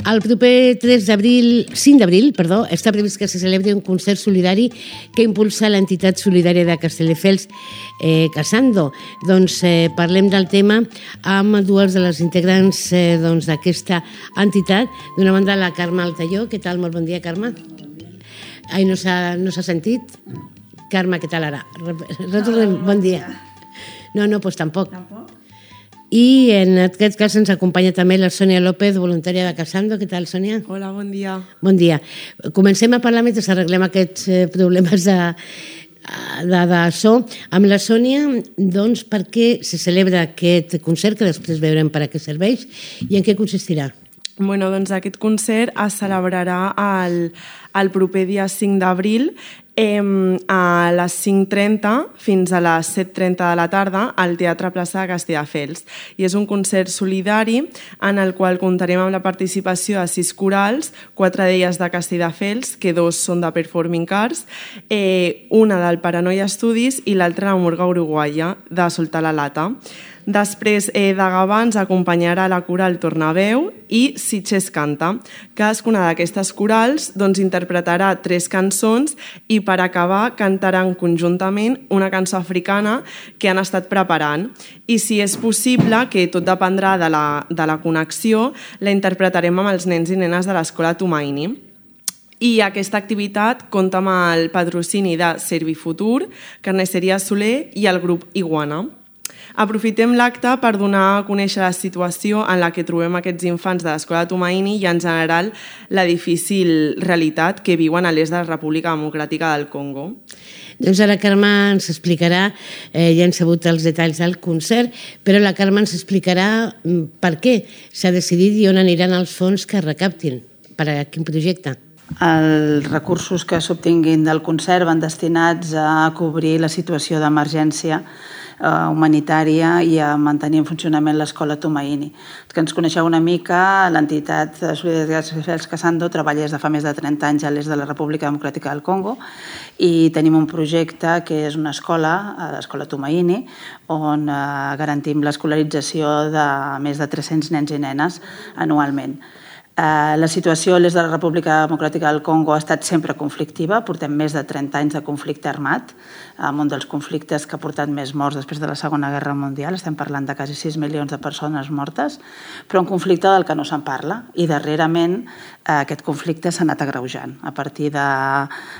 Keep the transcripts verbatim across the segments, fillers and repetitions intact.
El proper tres d'abril, cinc d'abril, perdó, està previst que se celebri un concert solidari que impulsa l'entitat solidària de Castelldefels, eh, Casando. Doncs eh, parlem del tema amb dues de les integrants eh, doncs, d'aquesta entitat. D'una banda, la Carme Altaió. Què tal? Molt bon dia, Carme. Ai, no s'ha no s'ha sentit? Carme, què tal ara? Retornem. Bon dia. No, no, doncs tampoc. Tampoc? I en aquest cas ens acompanya també la Sònia López, voluntària de Casando. Què tal, Sònia? Hola, bon dia. Bon dia. Comencem a parlar mentre arreglem aquests problemes de, de, de so. Amb la Sònia, doncs, per què se celebra aquest concert, que després veurem per a què serveix, i en què consistirà? Bueno, doncs aquest concert es celebrarà el, el proper dia cinc d'abril eh, a les cinc trenta fins a les set trenta de la tarda al Teatre Plaça de Castelldefels. I és un concert solidari en el qual comptarem amb la participació de sis corals, quatre d'elles de Castelldefels, que dos són de Performing Arts, eh, una del Paranoia Studies i l'altra de Murga Uruguaya, de Soltar la Lata. Després eh, de Gavà ens acompanyarà la coral Tornaveu i Sitges Canta. Cadascuna d'aquestes corals doncs, interpretarà tres cançons i per acabar cantaran conjuntament una cançó africana que han estat preparant. I si és possible, que tot dependrà de la, de la connexió, la interpretarem amb els nens i nenes de l'Escola Tumaini. I aquesta activitat compta amb el patrocini de Servifutur, Carnisseria Soler i el grup Iguana. Aprofitem l'acte per donar a conèixer la situació en la que trobem aquests infants de l'Escola Tumaini i, en general, la difícil realitat que viuen a l'est de la República Democràtica del Congo. Doncs ara Carme ens explicarà, eh, ja hem sabut els detalls del concert, però la Carme ens explicarà per què s'ha decidit i on aniran els fons que recaptin, per a quin projecte. Els recursos que s'obtinguin del concert van destinats a cobrir la situació d'emergència humanitària i a mantenir en funcionament l'Escola Tumaini. Els que ens coneixeu una mica, l'entitat Solidaritat Castelldefels Casando treballa des de fa més de trenta anys a l'est de la República Democràtica del Congo i tenim un projecte que és una escola, l'Escola Tumaini, on garantim l'escolarització de més de tres-cents nens i nenes anualment. La situació a l'est de la República Democràtica del Congo ha estat sempre conflictiva. Portem més de trenta anys de conflicte armat, amb un dels conflictes que ha portat més morts després de la Segona Guerra Mundial. Estem parlant de quasi sis milions de persones mortes, però un conflicte del que no se'n parla. I darrerament aquest conflicte s'ha anat agreujant. A partir de,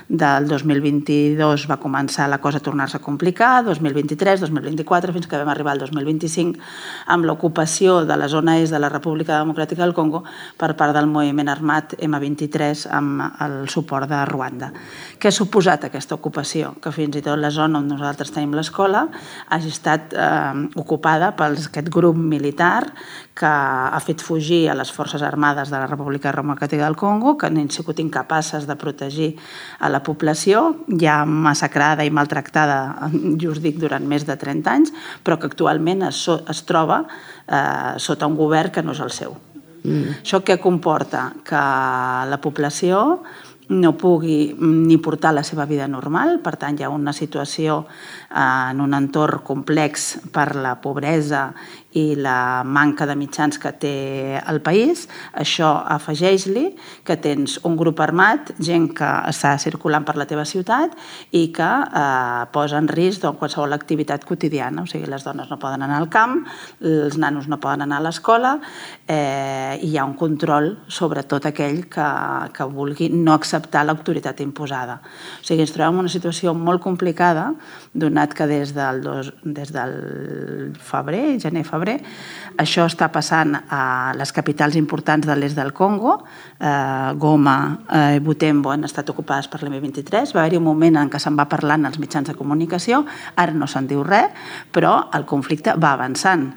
del dos mil vint-i-dos va començar la cosa a tornar-se a complicar, dos mil vint-i-tres, dos mil vint-i-quatre, fins que vam arribar al dos mil vint-i-cinc amb l'ocupació de la zona est de la República Democràtica del Congo per part del moviment armat ema vint-i-tres amb el suport de Ruanda. Què ha suposat aquesta ocupació? Que fins i tot la zona on nosaltres tenim l'escola hagi estat eh, ocupada per aquest grup militar que ha fet fugir a les forces armades de la República Democràtica del Congo, que han sigut incapaces de protegir a la població, ja massacrada i maltractada, just dic, durant més de trenta anys, però que actualment es, es troba eh, sota un govern que no és el seu. Mm. Això què comporta? Que la població no pugui ni portar la seva vida normal, per tant hi ha una situació en un entorn complex per la pobresa i la manca de mitjans que té el país. Això afegeix-li que tens un grup armat, gent que està circulant per la teva ciutat i que eh, posa en risc doncs, qualsevol activitat quotidiana. O sigui, les dones no poden anar al camp, els nanos no poden anar a l'escola eh, i hi ha un control sobre tot aquell que, que vulgui no acceptar l'autoritat imposada. O sigui, ens trobem en una situació molt complicada, donat que des del, dos, des del febrer, gener-febrer, això està passant a les capitals importants de l'est del Congo. Eh, Goma i eh, Butembo han estat ocupades per l'ema vint-i-tres. Va haver-hi un moment en què se'n va parlant als mitjans de comunicació, ara no se'n diu res, però el conflicte va avançant.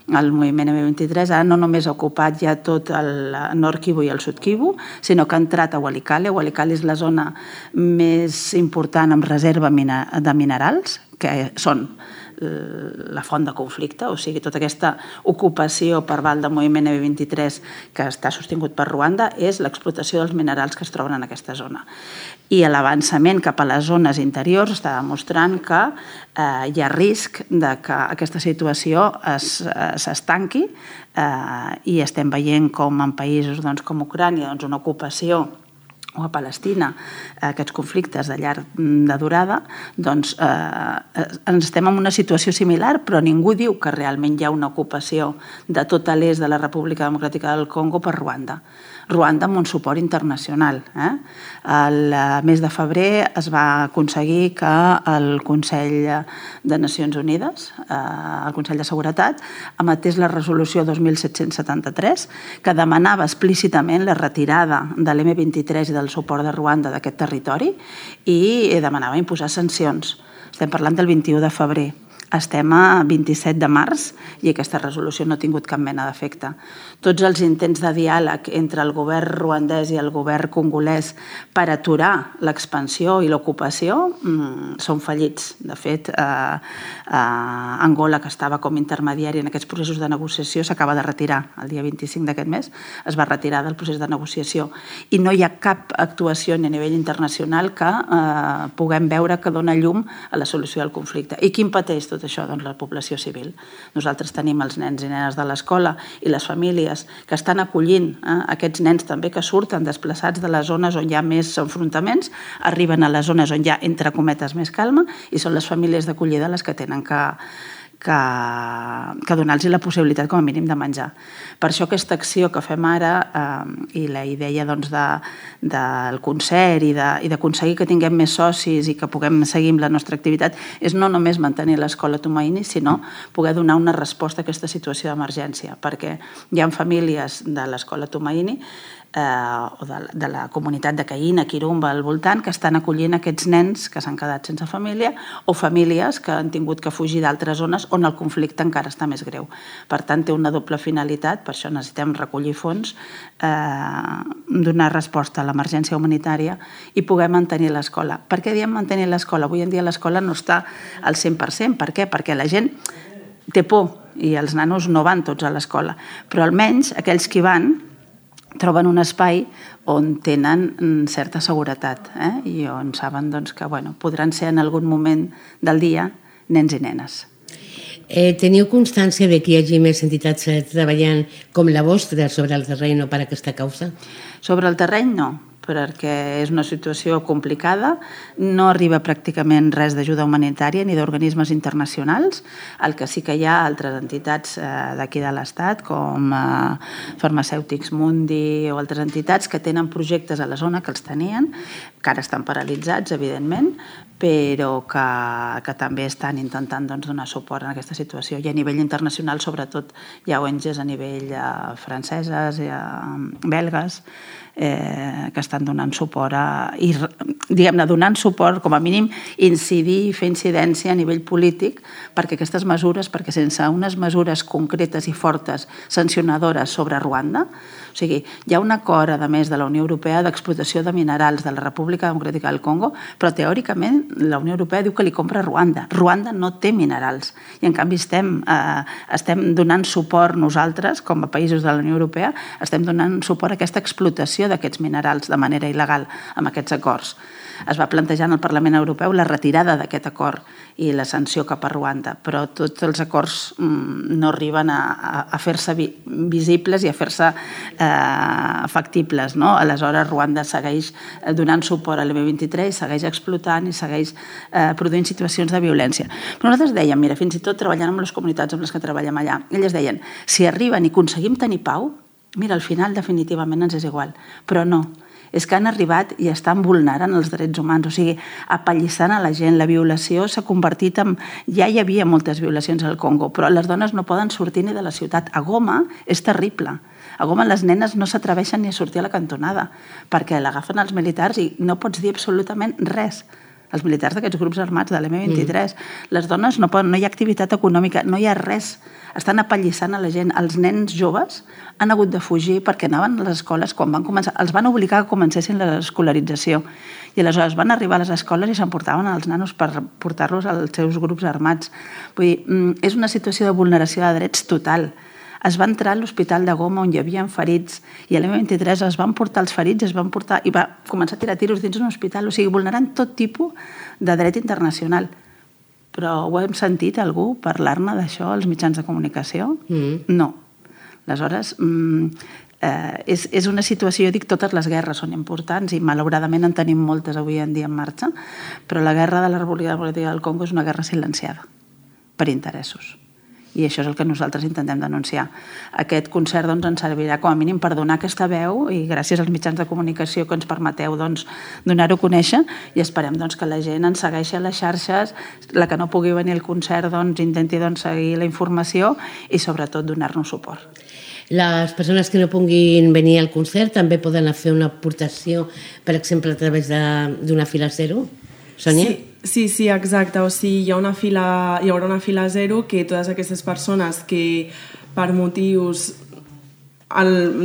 El moviment ema vint-i-tres ara no només ha ocupat ja tot el nord Kivu i el sud Kivu, sinó que ha entrat a Walikale. Walikale és la zona més important amb reserva de minerals, que són la font de conflicte, o sigui, tota aquesta ocupació per part del moviment eme vint-i-tres que està sostingut per Ruanda és l'explotació dels minerals que es troben en aquesta zona. I l'avançament cap a les zones interiors està demostrant que eh, hi ha risc de que aquesta situació s'estanqui eh, i estem veient com en països doncs, com Ucrània, doncs, una ocupació o a Palestina, aquests conflictes de llarg de durada, doncs eh, estem en una situació similar, però ningú diu que realment hi ha una ocupació de tot l'est de la República Democràtica del Congo per Ruanda. Ruanda amb un suport internacional. Eh? El mes de febrer es va aconseguir que el Consell de Nacions Unides, eh, el Consell de Seguretat, emetés la resolució dos mil set-cents setanta-tres que demanava explícitament la retirada de l'eme vint-i-tres i del suport de Ruanda d'aquest territori i demanava imposar sancions. Estem parlant del vint-i-u de febrer. Estem a vint-i-set de març i aquesta resolució no ha tingut cap mena d'efecte. Tots els intents de diàleg entre el govern ruandès i el govern congolès per aturar l'expansió i l'ocupació mmm, són fallits. De fet, eh, eh, Angola, que estava com intermediari en aquests processos de negociació, s'acaba de retirar el dia vint-i-cinc d'aquest mes, es va retirar del procés de negociació. I no hi ha cap actuació a nivell internacional que eh, puguem veure que dona llum a la solució del conflicte. I qui pateix tot això? Doncs la població civil. Nosaltres tenim els nens i nenes de l'escola i les famílies que estan acollint eh, aquests nens també que surten desplaçats de les zones on hi ha més enfrontaments, arriben a les zones on hi ha, entre cometes, més calma i són les famílies d'acollida les que tenen que que, que donar-los la possibilitat com a mínim de menjar. Per això aquesta acció que fem ara eh, i la idea doncs, de, del concert i d'aconseguir que tinguem més socis i que puguem seguir amb la nostra activitat és no només mantenir l'escola Tumaini, sinó poder donar una resposta a aquesta situació d'emergència, perquè hi ha famílies de l'escola Tumaini Eh, o de, de la comunitat de Caïna, Kirumba, al voltant, que estan acollint aquests nens que s'han quedat sense família o famílies que han tingut que fugir d'altres zones on el conflicte encara està més greu. Per tant, té una doble finalitat, per això necessitem recollir fons, eh, donar resposta a l'emergència humanitària i poder mantenir l'escola. Per què diem mantenir l'escola? Avui en dia l'escola no està al cent per cent. Per què? Perquè la gent té por i els nanos no van tots a l'escola, però almenys aquells que hi van troben un espai on tenen certa seguretat eh? I on saben doncs, que bueno, podran ser en algun moment del dia nens i nenes. Eh, teniu constància de que hi hagi més entitats treballant com la vostra sobre el terreny per a aquesta causa? Sobre el terreny no, perquè és una situació complicada, no arriba pràcticament res d'ajuda humanitària ni d'organismes internacionals. El que sí que hi ha altres entitats eh, d'aquí de l'Estat, com eh, Farmacèutics Mundi o altres entitats que tenen projectes a la zona que els tenien, que ara estan paralitzats, evidentment, però que, que també estan intentant doncs, donar suport en aquesta situació. I a nivell internacional, sobretot, hi ha O N Ges a nivell eh, franceses, eh, belgues, eh, que estan donant suport a, i diguem-ne, donant suport, com a mínim, incidir i fer incidència a nivell polític perquè aquestes mesures, perquè sense unes mesures concretes i fortes sancionadores sobre Ruanda, o sigui, hi ha un acord, a més, de la Unió Europea d'explotació de minerals de la República Democràtica del Congo, però teòricament la Unió Europea diu que li compra a Ruanda. Ruanda no té minerals i en canvi estem, eh, estem donant suport nosaltres, com a països de la Unió Europea, estem donant suport a aquesta explotació d'aquests minerals de manera il·legal amb aquests acords. Es va plantejar en el Parlament Europeu la retirada d'aquest acord i la sanció cap a Ruanda, però tots els acords mm, no arriben a, a, a fer-se vi, visibles i a fer-se eh, factibles. No? Aleshores, Ruanda segueix donant suport a l'eme vint-i-tres, segueix explotant i segueix eh, produint situacions de violència. Però nosaltres dèiem, mira, fins i tot treballant amb les comunitats amb les que treballem allà, elles deien, si arriben i aconseguim tenir pau, mira, al final definitivament ens és igual, però no. És que han arribat i estan vulnerant els drets humans, o sigui, apallissant a la gent. La violació s'ha convertit en... Ja hi havia moltes violacions al Congo, però les dones no poden sortir ni de la ciutat. A Goma és terrible. A Goma les nenes no s'atreveixen ni a sortir a la cantonada, perquè l'agafen els militars i no pots dir absolutament res. els militars d'aquests grups armats de l'M vint-i-tres. Mm. Les dones no poden, no hi ha activitat econòmica, no hi ha res. Estan apallissant a la gent. Els nens joves han hagut de fugir perquè anaven a les escoles quan van començar. Els van obligar que comencessin l'escolarització. I aleshores van arribar a les escoles i s'emportaven els nanos per portar-los als seus grups armats. Vull dir, és una situació de vulneració de drets total. Es va entrar a l'Hospital de Goma on hi havia ferits i a l'M vint-i-tres es van portar els ferits es van portar, i va començar a tirar tiros dins un hospital, o sigui, vulnerant tot tipus de dret internacional. Però ho hem sentit algú parlar-ne d'això als mitjans de comunicació? Mm. No. Aleshores, mm, eh, és, és una situació, jo dic, totes les guerres són importants i malauradament en tenim moltes avui en dia en marxa, però la guerra de la República Democràtica del Congo és una guerra silenciada per interessos. I això és el que nosaltres intentem denunciar. Aquest concert doncs, ens servirà com a mínim per donar aquesta veu i gràcies als mitjans de comunicació que ens permeteu doncs, donar-ho a conèixer i esperem doncs, que la gent ens segueixi a les xarxes, la que no pugui venir al concert doncs, intenti doncs, seguir la informació i sobretot donar-nos suport. Les persones que no puguin venir al concert també poden fer una aportació, per exemple, a través d'una fila zero? Sònia? Sí. Sí, sí, exacte. O sigui, hi ha una fila, hi haurà una fila zero que totes aquestes persones que per motius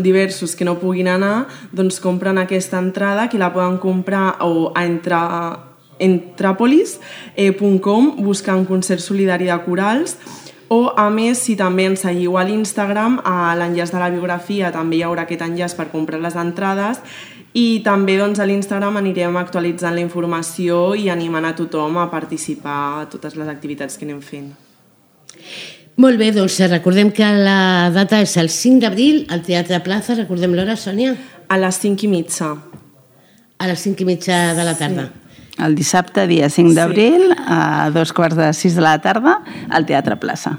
diversos que no puguin anar, doncs compren aquesta entrada, que la poden comprar o a entrapolis punt com buscant concert solidari de corals. O, a més, si també ens seguiu a l'Instagram, a l'enllaç de la biografia també hi haurà aquest enllaç per comprar les entrades. I també doncs, a l'Instagram anirem actualitzant la informació i animant a tothom a participar a totes les activitats que anem fent. Molt bé, doncs recordem que la data és el cinc d'abril al Teatre Plaza. Recordem l'hora, Sònia? A les cinc i mitja. A les cinc i mitja de la tarda. Sí. El dissabte, dia cinc d'abril, sí. A dos quarts de sis de la tarda, al Teatre Plaça.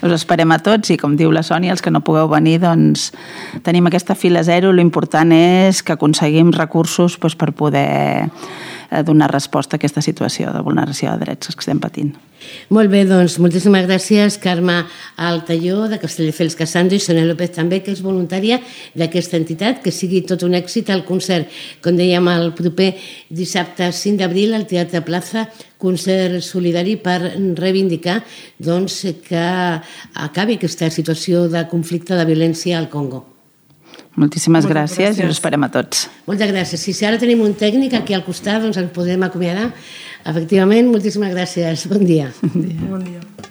Us esperem a tots i, com diu la Sònia, els que no pugueu venir, doncs tenim aquesta fila zero. L'important és que aconseguim recursos doncs, per poder donar resposta a aquesta situació de vulneració de drets que estem patint. Molt bé, doncs moltíssimes gràcies, Carme Altaió, de Castelldefels Casando, i Sònia López també, que és voluntària d'aquesta entitat. Que sigui tot un èxit el concert, com dèiem, el proper dissabte cinc d'abril al Teatre Plaza, concert solidari per reivindicar doncs, que acabi aquesta situació de conflicte, de violència al Congo. Moltíssimes gràcies, gràcies i us esperem a tots. Moltes gràcies. Si ara tenim un tècnic aquí al costat, doncs ens podem acomiadar. Efectivament, moltíssimes gràcies. Bon dia. Bon dia. Bon dia.